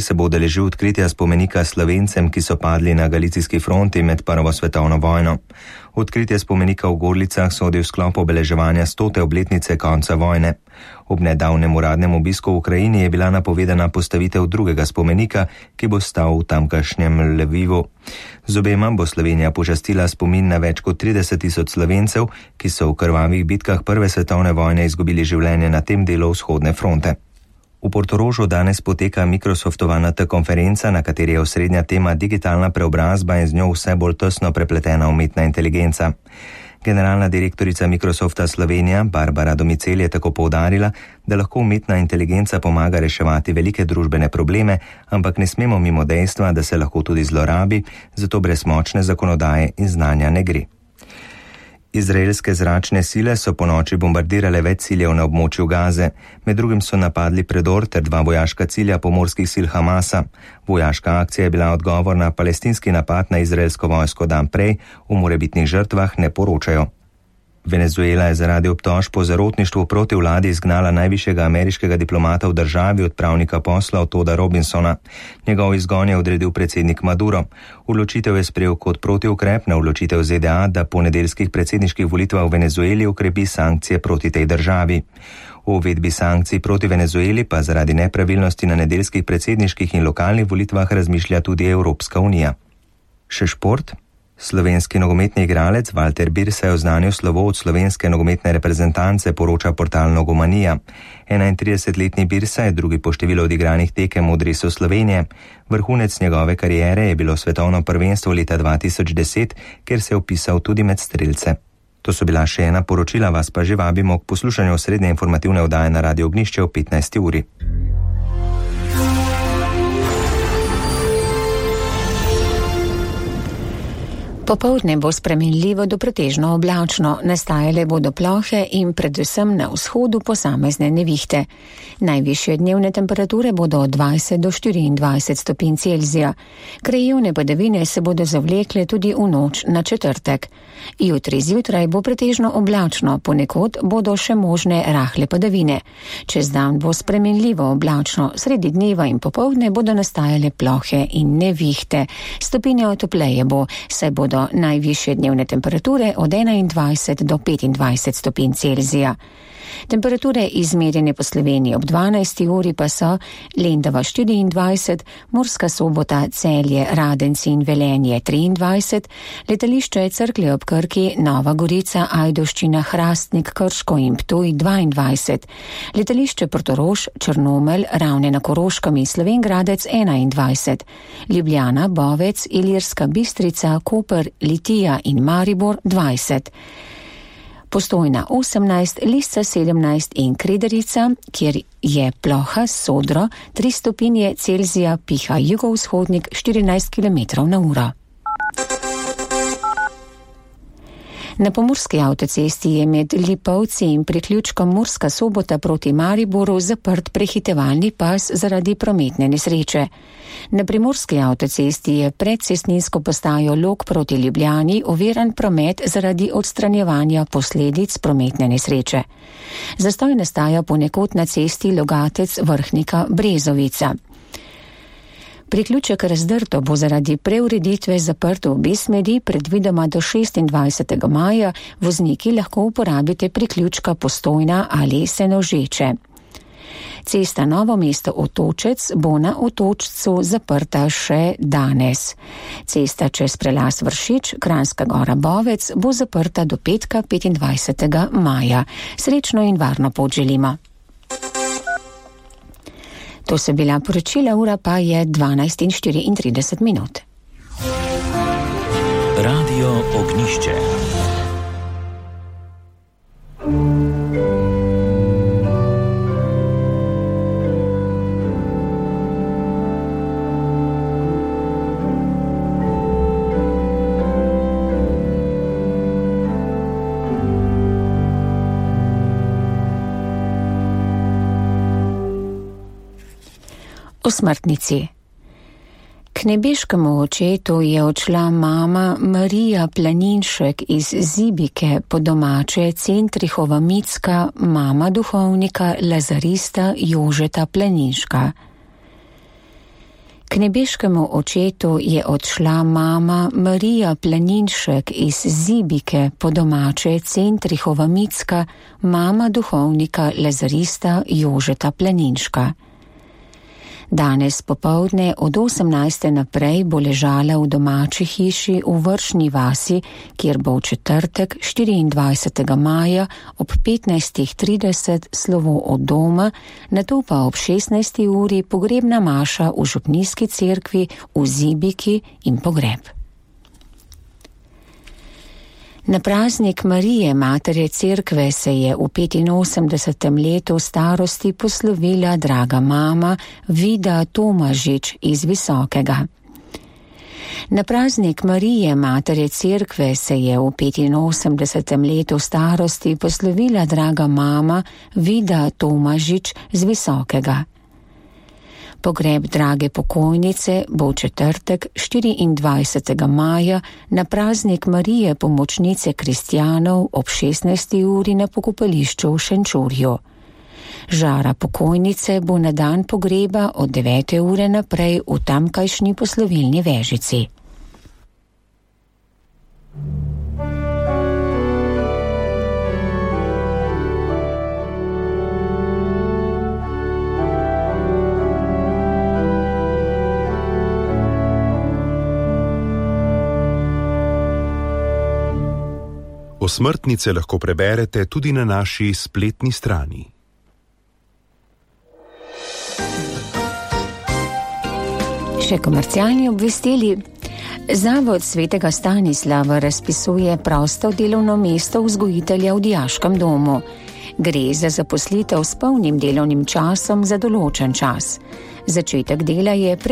se bo udeležil odkritja spomenika Slovencem, ki so padli na galicijski fronti med Prvo svetovno vojno. Odkritje spomenika v Gorlicah sodi v sklop obeleževanja 100. obletnice konca vojne. Ob nedavnem uradnem obisku v Ukrajini je bila napovedana postavitev drugega spomenika, ki bo stal v tamkajšnjem Lvivu. Z obema bo Slovenija počastila spomin na več kot 30.000 Slovencev, ki so v krvavih bitkah Prve svetovne vojne izgubili življenje na tem delu vzhodne fronte. V Portorožu danes poteka Microsoftova NT konferenca, na kateri je osrednja tema digitalna preobrazba in z njo vse bolj tesno prepletena umetna inteligenca. Generalna direktorica Microsofta Slovenija Barbara Domicel je tako poudarila, da lahko umetna inteligenca pomaga reševati velike družbene probleme, ampak ne smemo mimo dejstva, da se lahko tudi zlorabi, zato brez močne zakonodaje in znanja ne gre. Izraelske zračne sile so ponoči bombardirale več ciljev na območju Gaze. Med drugim so napadli predor ter 2 vojaška cilja pomorskih sil Hamasa. Vojaška akcija je bila odgovor na palestinski napad na izraelsko vojsko dan prej, o morebitnih žrtvah ne poročajo. Venezuela je zaradi obtožb po zarotništvu proti vladi izgnala najvišjega ameriškega diplomata v državi, odpravnika poslov Toda Robinsona. Njegov izgon je odredil predsednik Maduro. Odločitev je sprejel kot protiukrep na odločitev ZDA, da po nedeljskih predsedniških volitvah v Venezueli ukrepi sankcije proti tej državi. O uvedbi sankcij proti Venezueli pa zaradi nepravilnosti na nedeljskih predsedniških in lokalnih volitvah razmišlja tudi Evropska unija. Še šport. Slovenski nogometni igralec Valter Bir se je oznanil slovo od slovenske nogometne reprezentance, poroča portal Nogomanija. 31-letni Birsa je drugi po številu odigranih tekem v dresu Slovenije. Vrhunec njegove kariere je bilo svetovno prvenstvo leta 2010, kjer se je vpisal tudi med strelce. To so bila še ena poročila, vas pa že vabimo k poslušanju srednje informativne oddaje na Radio Ognjišče o 15. uri. Popoldne bo spremenljivo do pretežno oblačno, nastajale bodo plohe in predvsem na vzhodu posamezne nevihte. Najvišje dnevne temperature bodo od 20 do 24 stopinj Celzija. Krajevne padavine se bodo zavlekle tudi v noč na četrtek. Jutri zjutraj bo pretežno oblačno, ponekod bodo še možne rahle padavine. Čez dan bo spremenljivo oblačno, sredi dneva in popoldne bodo nastajale plohe in nevihte. Stopinje topleje bo, saj bodo najvišje dnevne temperature od 21 do 25 stopinj Celzija. Temperature izmerjene po Sloveniji ob 12. uri pa so Lendava 24, Murska Sobota, Celje, Radenci in Velenje 23, letališče Cerklje ob Krki, Nova Gorica, Ajdovščina, Hrastnik, Krško in Ptuj 22, letališče Portorož, Črnomelj, Ravne na Koroškem in Slovenj Gradec 21, Ljubljana, Bovec, Ilirska Bistrica, Koper, Litija in Maribor 20. Postojna 18, Lisca 17 in Krederica, kjer je ploha Sodro 3 stopinje Celzija, piha jugovzhodnik 14 km/h. Na Pomurski avtocesti je med Lipovci in priključkom Murska Sobota proti Mariboru zaprt prehitevalni pas zaradi prometne nesreče. Na Primorski avtocesti je pred cestninsko postajo Log proti Ljubljani oviran promet zaradi odstranjevanja posledic prometne nesreče. Zastoj nastaja ponekod na cesti Logatec Vrhnika Brezovica. Priključek Razdrto bo zaradi preureditve zaprt v obe smeri, predvidoma do 26. maja vozniki lahko uporabite priključka Postojna ali Senožeče. Cesta Novo mesto Otočec bo na Otočcu zaprta še danes. Cesta čez prelaz Vršič, Kranjska Gora Bovec bo zaprta do petka 25. maja. Srečno in varno pot želimo. To so bila poročila, ura pa je 12:34. Radio Ognjišče. O smrtnici. K nebeškemu očetu je odšla mama Marija Planinšek iz Zibike, po domače Centrihova Micka, mama duhovnika Lazarista Jožeta Planinška. nebeškemu očetu je odšla mama Marija Planinšek iz Zibike, po domače Centrihova Micka, mama duhovnika lazarista Jožeta Planinška. Danes popoldne od 18. naprej bo ležala v domači hiši v Vršni vasi, kjer bo v četrtek 24. maja ob 15.30 slovo od doma, nato pa ob 16. uri pogrebna maša v župnijski cerkvi v Zibiki in pogreb. Na praznik Marije, matere cerkve, se je v 85. letu starosti poslovila draga mama Vida Tomažič iz Visokega. Na praznik Marije, matere cerkve, se je v 85. letu starosti poslovila draga mama Vida Tomažič z Visokega. Pogreb drage pokojnice bo v četrtek 24. maja na praznik Marije pomočnice kristjanov ob 16. uri na pokopališču v Šenčurju. Žara pokojnice bo na dan pogreba od 9. ure naprej v tamkajšnji poslovilni vežici. Osmrtnice lahko preberete tudi na naši spletni strani. Še komercialni obvestili. Zavod svetega Stanislava razpisuje prosto delovno mesto vzgojitelja v dijaškem domu. Gre za zaposlitev s polnim delovnim časom za določen čas. Začetek dela je